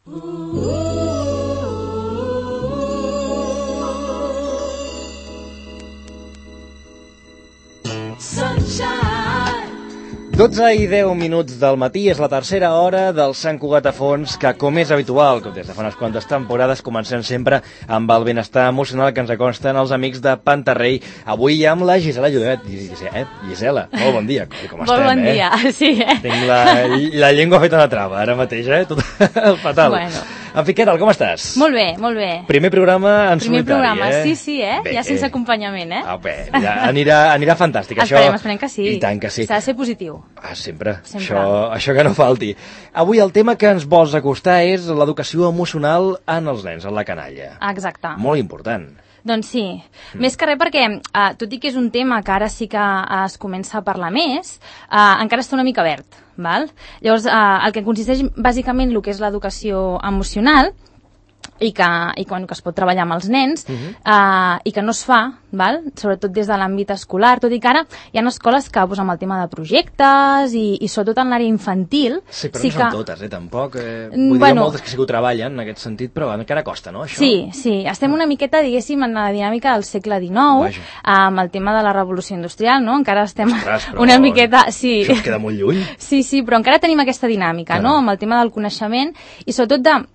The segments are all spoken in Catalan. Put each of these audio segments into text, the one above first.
Sunshine. 12 i 10 minuts del matí, és la tercera hora del Sant Cugat a Fons, que com és habitual, com des de fa unes quantes temporades, comencem sempre amb el benestar emocional que ens acosten els amics de Pantarrei. Avui amb la Gisela Llobet. Gisela, molt bon dia, com estem, Molt bon dia, sí, Tinc la llengua feta una trava, ara mateix, tot fatal. Bueno. En fi, què tal, com estàs? Molt bé, molt bé. Primer programa en solitari, programa, sí, Bé, ja sense acompanyament, Bé, anirà fantàstic. Esperem que sí. I tant que sí. S'ha de ser positiu. Sempre. Això que no falti. Avui el tema que ens vols acostar és l'educació emocional en els nens, en la canalla. Exacte. Molt important. Doncs sí, més que res perquè, tot i que és un tema que ara sí que es comença a parlar més, encara està una mica verd, val? Llavors, el que consisteix bàsicament el que és l'educació emocional, i que es pot treballar amb els nens, i que no es fa, val? Sobretot des de l'àmbit escolar, tot i que ara hi ha escoles que amb el tema de projectes i sobretot en l'àrea infantil... Sí, però no són totes, tampoc. Vull dir, moltes que sí que ho treballen en aquest sentit, però encara costa, no, això? Sí, estem una miqueta, diguéssim, en la dinàmica del segle XIX, amb el tema de la revolució industrial, no? Encara estem una miqueta... Sí. Això es queda molt lluny. Sí, però encara tenim aquesta dinàmica, no? Amb el tema del coneixement i sobretot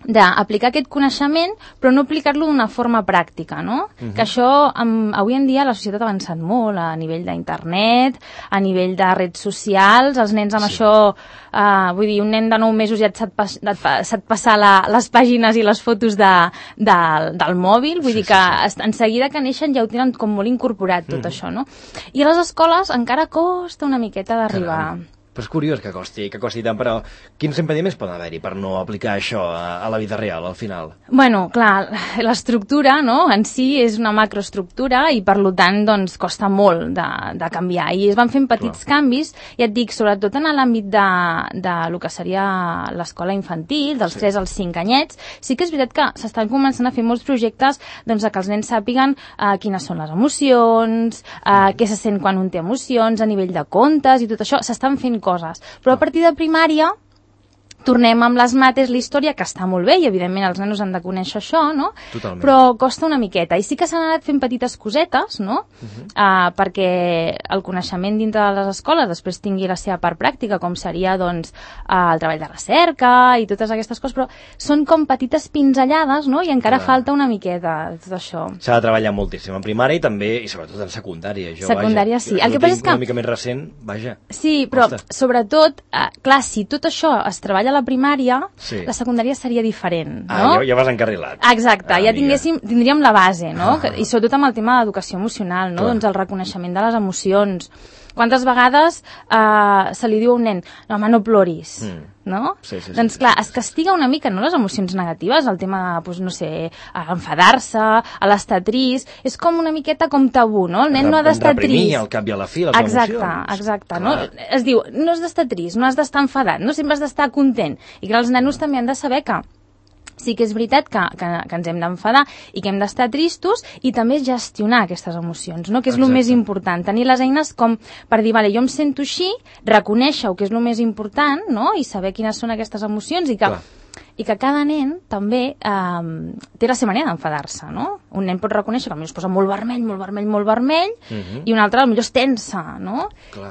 d'aplicar aquest coneixement, però no aplicar-lo d'una forma pràctica, no? Que això, avui en dia, la societat ha avançat molt a nivell d'internet, a nivell de redes socials, els nens amb això, vull dir, un nen de 9 mesos ja et sap passar les pàgines i les fotos del mòbil, vull dir que en seguida que neixen ja ho tenen com molt incorporat, tot això, no? I a les escoles encara costa una miqueta d'arribar... Però és curiós que costi tant, però quins impediments poden haver-hi per no aplicar això a la vida real, al final? Bueno, clar, l'estructura, no?, en si és una macroestructura i, per tant, doncs, costa molt de canviar. I es van fent petits canvis, ja et dic, sobretot en l'àmbit de lo que seria l'escola infantil, dels 3 als 5 anyets, sí que és veritat que s'estan començant a fer molts projectes doncs, que els nens sàpiguen quines són les emocions, què se sent quan un té emocions, a nivell de contes i tot això, s'estan fent coses. Però a partir de primària tornem amb les mates, la història, que està molt bé, i evidentment els nanos han de conèixer això, no? Totalment. Però costa una miqueta. I sí que s'han anat fent petites cosetes, no? Perquè el coneixement dintre de les escoles després tingui la seva part pràctica, com seria, doncs, el treball de recerca i totes aquestes coses, però són com petites pinzellades, no? I encara falta una miqueta de tot això. S'ha de treballar moltíssim en primària i també, i sobretot en secundària. Secundària, sí. El que passa és que... Una mica més recent, vaja. Sí, però sobretot, clar, si tot això es treballa a la primària, la secundària seria diferent, no? Ja vas encarrilat. Exacte, ja tindríem la base, no? I sobretot amb el tema de l'educació emocional, no? Doncs el reconeixement de les emocions. Quantes vegades se li diu a un nen, no, home, no ploris, no? Doncs clar, es castiga una mica, no?, les emocions negatives, el tema, doncs, no sé, enfadar-se, l'estar trist, és com una miqueta com tabú, no? El nen no ha d'estar trist. Reprimir al cap i a la fi les emocions. Exacte, no? Es diu, no has d'estar trist, no has d'estar enfadat, no sempre has d'estar content. I que els nanos també han de saber que sí que és veritat que ens hem d'enfadar i que hem d'estar tristos i també gestionar aquestes emocions, no? Que és el més important. Tenir les eines com per dir, vale, jo em sento així, reconèixer-ho, que és el més important, no? I saber quines són aquestes emocions i que cada nen també té la seva manera d'enfadar-se, no? Un nen pot reconèixer que potser es posa molt vermell, i un altre potser es tensa, no?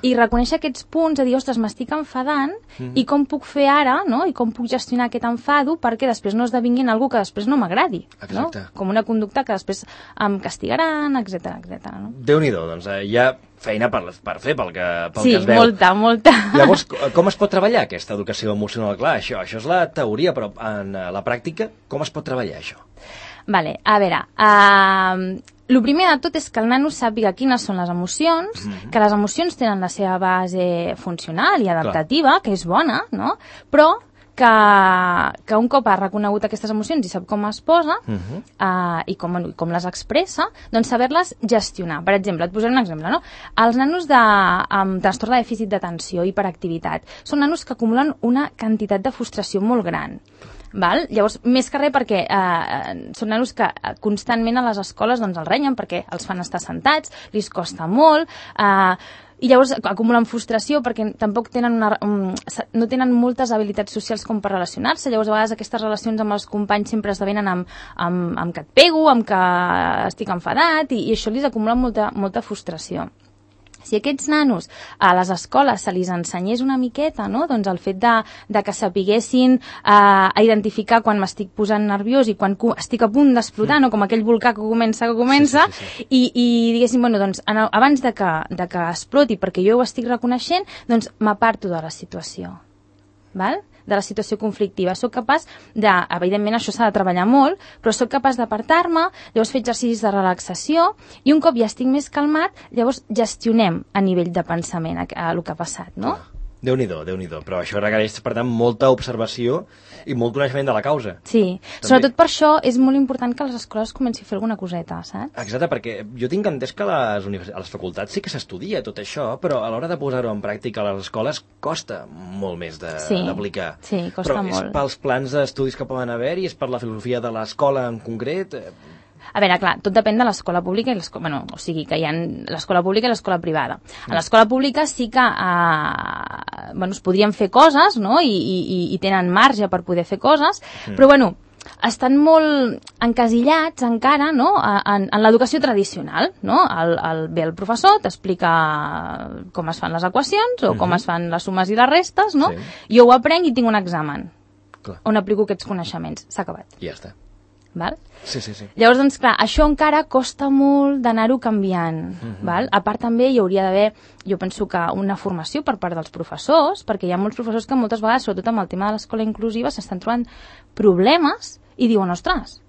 I reconèixer aquests punts, de dir, ostres, m'estic enfadant, i com puc fer ara, no? I com puc gestionar aquest enfado perquè després no esdevingui en algú que després no m'agradi, no? Com una conducta que després em castigaran, etc. No? Déu-n'hi-do, doncs hi ha feina per fer pel que es veu. Sí, molta. Llavors, com es pot treballar aquesta educació emocional? Clar, això és la teoria, però en la pràctica, com es pot treballar això? Vale, a veure, el primer de tot és que el nano sàpiga quines són les emocions, que les emocions tenen la seva base funcional i adaptativa, que és bona, no? Però que un cop ha reconegut aquestes emocions i sap com es posa i com les expressa, doncs saber-les gestionar. Per exemple, et posaré un exemple, no? Els nanos amb trastorn de dèficit d'atenció i hiperactivitat són nanos que acumulen una quantitat de frustració molt gran. Val? Llavors, més que res perquè són nanos que constantment a les escoles doncs, els renyen perquè els fan estar sentats, li costa molt, i llavors acumulen frustració perquè tampoc tenen no tenen moltes habilitats socials com per relacionar-se, llavors a vegades aquestes relacions amb els companys sempre esdevenen amb que et pego, amb que estic enfadat, i això li acumula molta frustració. Si aquests nanos a les escoles se li ensenyés una miqueta, no? Doncs el fet de que sapiguessin a identificar quan m'estic posant nerviós i quan estic a punt d'explotar, no? Com aquell volcà que comença, sí. I diguéssim, bueno, doncs, abans de que exploti, perquè jo ho estic reconeixent, doncs m'aparto de la situació, val? De la situació conflictiva. Soc capaç evidentment això s'ha de treballar molt, però soc capaç d'apartar-me, llavors fer exercicis de relaxació, i un cop ja estic més calmat, llavors gestionem a nivell de pensament el que ha passat, no? Déu-n'hi-do, però això requereix, per tant, molta observació i molt coneixement de la causa. Sí, sobretot per això és molt important que les escoles comenci a fer alguna coseta, saps? Exacte, perquè jo tinc entès que a les facultats sí que s'estudia tot això, però a l'hora de posar-ho en pràctica a les escoles costa molt més d'aplicar. Sí, costa molt. Però és pels plans d'estudis que poden haver-hi, és per la filosofia de l'escola en concret... A veure, clar, tot depèn de l'escola pública i o sigui, que hi ha l'escola pública i l'escola privada. A l'escola pública sí que es podrien fer coses, no? I tenen marge per poder fer coses, però bueno, estan molt encasillats encara, no? en l'educació tradicional, no? Ve el professor, t'explica com es fan les equacions o com es fan les sumes i les restes, no? Sí. Jo ho aprenc i tinc un examen on aplico aquests coneixements. S'ha acabat. Ja està. Val? Sí. Llavors, doncs, clar, això encara costa molt d'anar-ho canviant. Val? A part, també hi hauria d'haver, jo penso que una formació per part dels professors, perquè hi ha molts professors que moltes vegades, sobretot amb el tema de l'escola inclusiva, s'estan trobant problemes i diuen, ostres,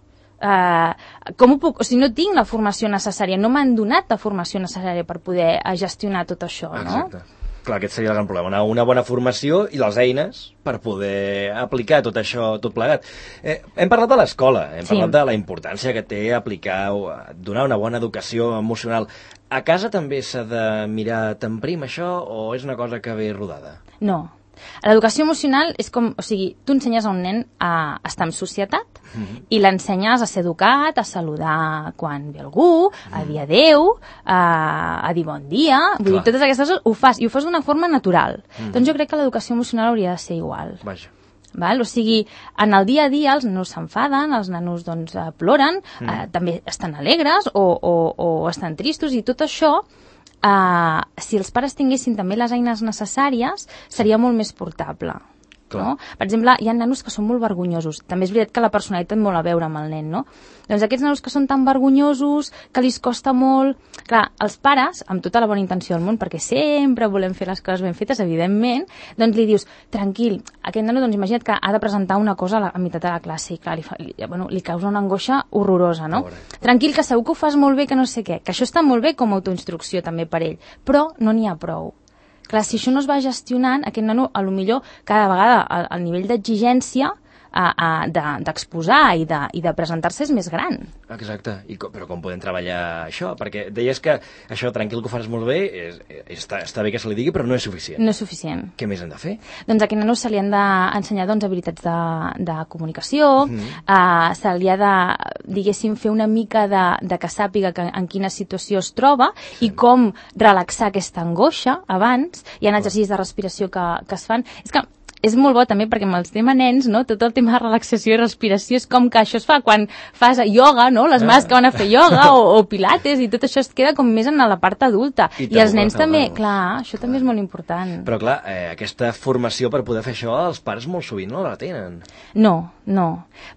com ho puc? O sigui, no tinc la formació necessària, no m'han donat la formació necessària per poder gestionar tot això, no? Exacte. Clar, aquest seria el gran problema, una bona formació i les eines per poder aplicar tot això, tot plegat. Hem parlat de l'escola, hem parlat de la importància que té aplicar, donar una bona educació emocional. A casa també s'ha de mirar tan prim això o és una cosa que ve rodada? No. L'educació emocional és com, o sigui, tu ensenyes a un nen a estar en societat i l'ensenyes a ser educat, a saludar quan ve algú, a dir adeu, a dir bon dia, vull dir, totes aquestes coses ho fas, i ho fas d'una forma natural. Doncs jo crec que l'educació emocional hauria de ser igual. Vaja. Val? O sigui, en el dia a dia els nanos s'enfaden, els nanos doncs, ploren, també estan alegres o estan tristos, i tot això si els pares tinguessin també les eines necessàries seria molt més portable. No? Per exemple, hi ha nanos que són molt vergonyosos. També és veritat que la personalitat té molt a veure amb el nen, no? Doncs aquests nanos que són tan vergonyosos, que li costa molt... Clar, els pares, amb tota la bona intenció del món, perquè sempre volem fer les coses ben fetes, evidentment, doncs li dius, tranquil, aquest nano, doncs imagina't que ha de presentar una cosa a meitat de la classe i clar, li causa una angoixa horrorosa, no? Tranquil, que segur que ho fas molt bé, que no sé què, que això està molt bé com a autoinstrucció també per ell, però no n'hi ha prou. Clar, si això no es va gestionant, aquest nano, a lo millor, cada vegada el nivell d'exigència d'exposar i de presentar-se és més gran. Exacte, però com podem treballar això? Perquè deies que això, tranquil, que ho faràs molt bé, està bé que se li digui, però no és suficient. No és suficient. Què més hem de fer? Doncs a aquest nano se li han d'ensenyar habilitats de comunicació, se li ha de, diguéssim, fer una mica de que sàpiga en quina situació es troba i com relaxar aquesta angoixa abans. Hi ha exercicis de respiració que es fan. És que és molt bo també perquè amb els tema nens, no? Tot el tema de relaxació i respiració és com que això es fa quan fas ioga, no? Les mares que van a fer ioga o pilates, i tot això es queda com més en la part adulta. I els nens també, clar, això també és molt important. Però clar, aquesta formació per poder fer això els pares molt sovint no la tenen. No.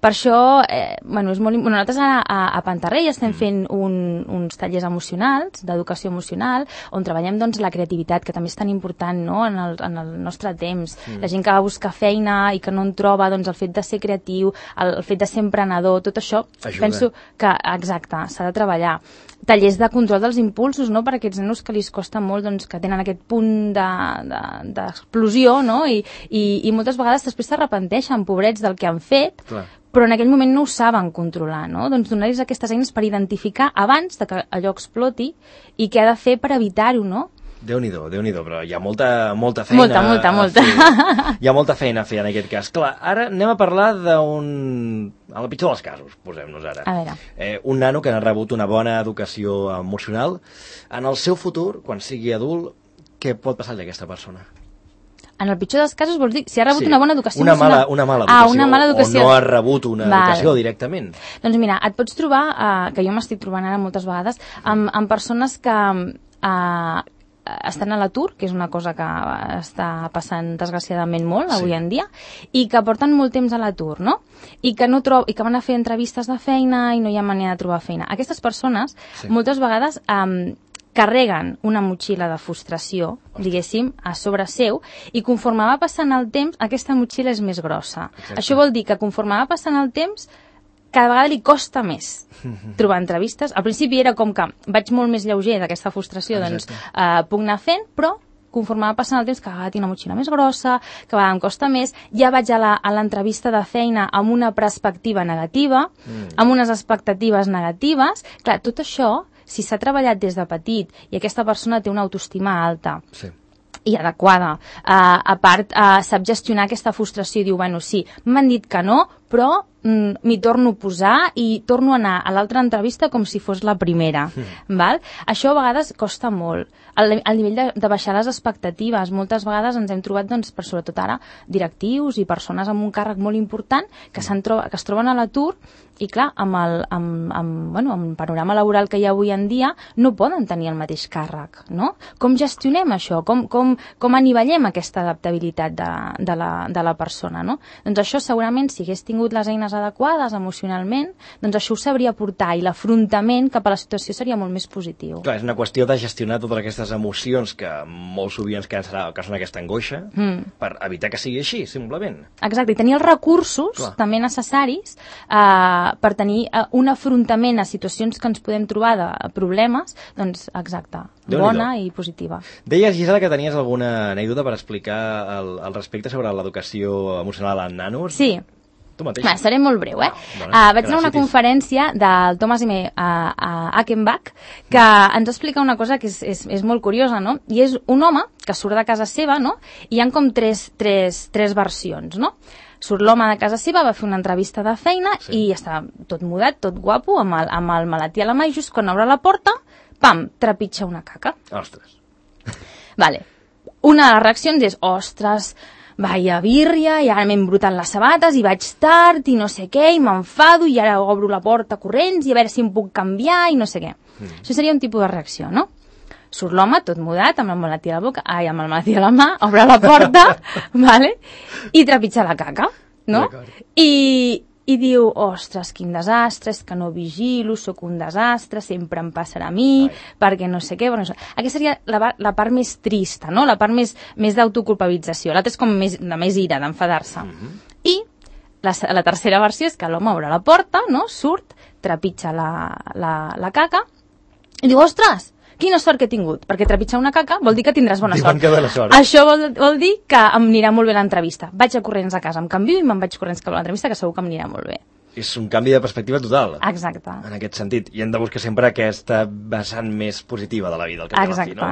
Per això, és molt important. Nosaltres a Pantarrell estem fent uns tallers emocionals, d'educació emocional, on treballem doncs la creativitat, que també és tan important, no? En el nostre temps. La gent que va a buscar feina i que no en troba, doncs el fet de ser creatiu, el fet de ser emprenedor, tot això, penso que, exacte, s'ha de treballar. Tallers de control dels impulsos, no?, per a aquests nanos que li costa molt, doncs, que tenen aquest punt d'explosió, no?, i moltes vegades després s'arrepenteixen, pobrets, del que han fet, però en aquell moment no ho saben controlar, no? Doncs donar-los aquestes eines per identificar abans de que allò exploti i què ha de fer per evitar-ho, no? Déu-n'hi-do, però hi ha molta feina. Molta. Hi ha molta feina a fer en aquest cas. Clar, ara anem a parlar a la pitjor dels casos, posem-nos ara. A veure. Un nano que ha rebut una bona educació emocional, en el seu futur, quan sigui adult, què pot passar-li a aquesta persona? En el pitjor dels casos vols dir si ha rebut una bona educació una mala educació, una mala educació, o no ha rebut una educació directament. Doncs mira, et pots trobar, que jo m'estic trobant ara moltes vegades, amb persones que estan a l'atur, que és una cosa que està passant desgraciadament molt avui en dia, i que porten molt temps a l'atur, no? I que van a fer entrevistes de feina i no hi ha manera de trobar feina. Aquestes persones moltes vegades carreguen una motxilla de frustració, diguéssim, a sobre seu, i conforme va passant el temps, aquesta motxilla és més grossa. Exacte. Això vol dir que conforme va passant el temps, cada vegada li costa més trobar entrevistes. Al principi era com que vaig molt més lleuger d'aquesta frustració, doncs puc anar fent, però conforme va passant el temps, cada vegada tinc una motxilla més grossa, cada vegada em costa més, ja vaig a l'entrevista de feina amb una perspectiva negativa, amb unes expectatives negatives. Clar, tot això, si s'ha treballat des de petit i aquesta persona té una autoestima alta i adequada, a part sap gestionar aquesta frustració i diu, bueno, sí, m'han dit que no, però m'hi torno a posar i torno a anar a l'altra entrevista com si fos la primera. Val? Això a vegades costa molt. El nivell de baixar les expectatives. Moltes vegades ens hem trobat, doncs, per sobretot ara, directius i persones amb un càrrec molt important que es troben a l'atur i, clar, amb el panorama laboral que hi ha avui en dia no poden tenir el mateix càrrec, no? Com gestionem això? Com anivellem aquesta adaptabilitat de la persona, no? Doncs això segurament, si hagués tingut les eines adequades emocionalment, doncs això ho sabria portar i l'afrontament cap a la situació seria molt més positiu. Clar, és una qüestió de gestionar totes aquestes emocions que molt sovint ens causen aquesta angoixa per evitar que sigui així, simplement. Exacte, i tenir els recursos també necessaris per tenir un afrontament a situacions que ens podem trobar de problemes, doncs exacte, bona i positiva. Deies, Gisela, que tenies alguna anècdota per explicar al respecte sobre l'educació emocional en nanos? Sí. Seré molt breu, vaig anar a una conferència del Thomas M. Achenbach que ens explica una cosa que és molt curiosa, no? I és un home que surt de casa seva, no? I hi ha com tres versions, no? Surt l'home de casa seva, va fer una entrevista de feina i està tot mudat, tot guapo, amb el maletí a la mà, i just quan obre la porta, pam, trepitja una caca. Ostres. Vale. Una de les reaccions és, ostres, vaya birria, i ara m'he embrutat les sabates i vaig tard i no sé què, i m'enfado i ara obro la porta corrents i a veure si em puc canviar i no sé què. Això seria un tipus de reacció, no? Surt l'home tot mudat, amb el maletí a la boca, amb el maletí a la mà, obre la porta, vale? I trepitja la caca, no? I diu, ostres, quin desastre, és que no vigilo, sóc un desastre, sempre em passarà a mi, perquè no sé què. Bueno, aquesta seria la part més trista, no? La part més d'autoculpabilització. L'altra és com de més ira, d'enfadar-se. I la tercera versió és que l'home obre la porta, no? Surt, trepitja la caca, i diu, ostres, quina sort que he tingut, perquè trepitjar una caca vol dir que tindràs bona sort. Això vol dir que em anirà molt bé l'entrevista. Vaig a corrents a casa, em canvio i me'n vaig corrents cap a l'entrevista, que segur que m'anirà molt bé. És un canvi de perspectiva total. Exacte. En aquest sentit. I hem de buscar sempre aquesta vessant més positiva de la vida, al cap de la fi, no?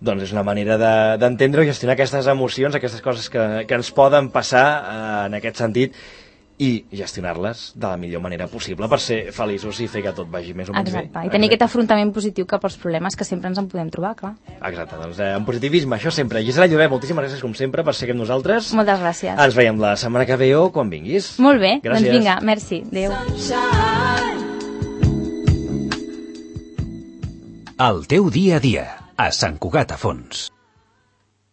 Doncs és una manera d'entendre o gestionar aquestes emocions, aquestes coses que ens poden passar en aquest sentit, i gestionar-les de la millor manera possible per ser feliços i fer que tot vagi més o menys bé. Exacte, i tenir aquest afrontament positiu cap als problemes que sempre ens en podem trobar, clar. Exacte, doncs en positivisme, això sempre. Gisela Llobet, moltíssimes gràcies com sempre per ser amb nosaltres. Moltes gràcies. Ens veiem la setmana que ve o quan vinguis. Molt bé, gràcies. Doncs vinga, merci, adéu. El teu dia a dia, a Sant Cugat a Fons.